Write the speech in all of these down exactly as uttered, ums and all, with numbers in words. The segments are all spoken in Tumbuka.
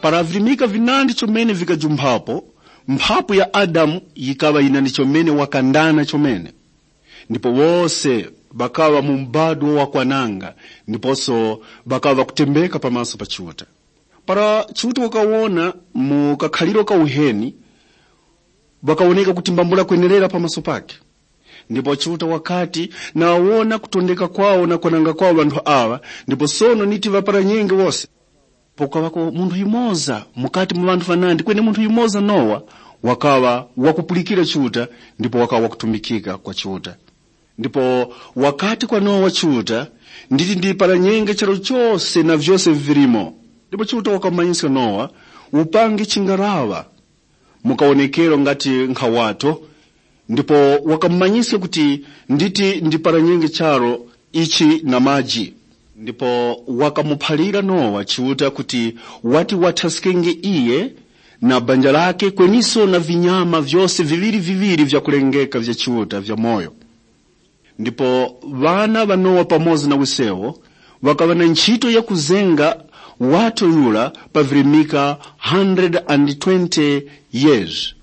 Para virimika vinandi chomene vikajumphapo, mphapu ya Adamu yikaŵa yinandi chomene wakandana chomene. Ndipo wose ŵakaŵa mu mbadwo wa kwananga, ndiposo ŵakaŵa ŵakutembeka pamaso pa Chiuta. Para Chiuta wakawona mu kakhaliro ka uheni, ŵakawoneka kuti mbambula kwenerera pamaso pake. Ndipo Chiuta wakati, nawona kutondeka kwawo na kwananga kwawo ŵanthu aŵa, ndipo sono niti ŵaparanyenge wose. Pakukaŵako munthu yumoza mukati mu ŵanthu ŵanandi, kweni munthu yumoza Nowa wakaŵa wakupulikira Chiuta, ndipo wakaŵa wakutumikika kwa Chiuta. Ndipo wakati kwa Nowa Chiuta, nditi ndiparanyenge charu chose na vyose vivilimo. Ndipo Chiuta wakamumanyiska Nowa upange chingaraŵa mu kawonekero ngati nkhawato, ndipo wakamumanyiska kuti nditi ndiparanyenge charu ichi na maji. Ndipo wakamuphalira Nowa Chiuta kuti wati wathaskenge iyo na banja lake kweniso na vinyama vyose viŵiri-viŵiri vyakulengeka vya Chiuta vyamoyo. Ndipo ŵana ŵa Nowa pamoza na wisewo ŵakaŵa na nchito ya kuzenga wato yura pa virimika one hundred and twenty years.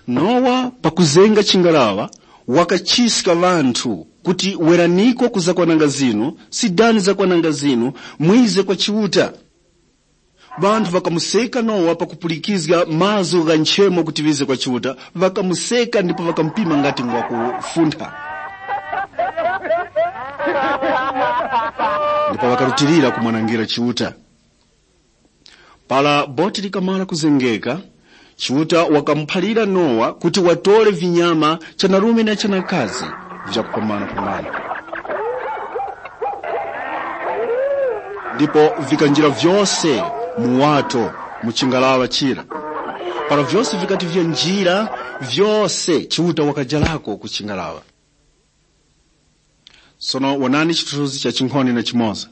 Nowa pakuzenga chingaraŵa wakachiska ŵanthu kuti, weraniko ku zakwananga zinu, sidani zakwananga zinu, mwize kwa Chiuta. Ŵanthu ŵakamuseka Nowa pakupulikizga mazgu gha nchemo kuti ŵize kwa Chiuta, ŵakamuseka ndipo ŵakamupima ngati ngwakufuntha. Ndipo ŵakarutilira kumwanangira Chiuta. Para boti likamara kuzengeka, Chiuta wakamuphalira Nowa kuti watore vinyama chanarume na chanakazi vyakupamanapamana. Ndipo vikanjira vyose mu wato mu chingaraŵa chira. Para vyose vikati vyanjira, vyose Chiuta wakajarako ku chingaraŵa. Sono wonani chithunzithunzi cha chinkhonde na chimoza.